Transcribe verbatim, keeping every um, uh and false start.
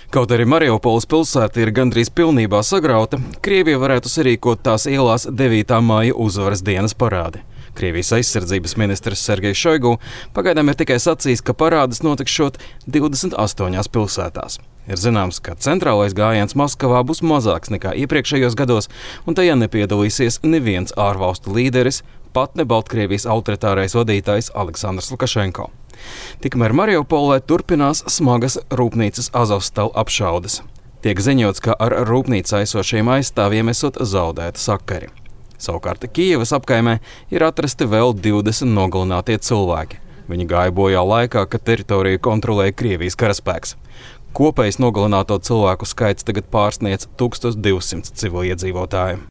Kaut arī Mariupoles pilsēta ir gandrīz pilnībā sagrauta, Krievija varētu sarīkot tās ielās devītā māja uzvaras dienas parādi. Krievijas aizsardzības ministrs Sergejs Šoigu pagaidām ir tikai sacījis, ka parādes notikšot divdesmit astoņās pilsētās. Ir zināms, ka centrālais gājiens Maskavā būs mazāks nekā iepriekšējos gados, un tajā nepiedalīsies neviens ārvalstu līderis, pat ne Baltkrievijas autoritārais vadītājs Aleksandrs Lukašenko. Tikmēr Mariupolē turpinās smagas rūpnīcas Azovstal apšaudes. Tiek ziņots, ka ar rūpnīcā esošiem aizstāvjiem esot zaudēti sakari. Savukārt Kijevas apkaimē ir atrasti vēl divdesmit nogalinātie cilvēki. Viņi gāja bojā laikā, kad teritoriju kontrolēja Krievijas karaspēks. Kopējs nogalināto cilvēku skaits tagad pārsniedz tūkstoš divsimt civiliedzīvotāju.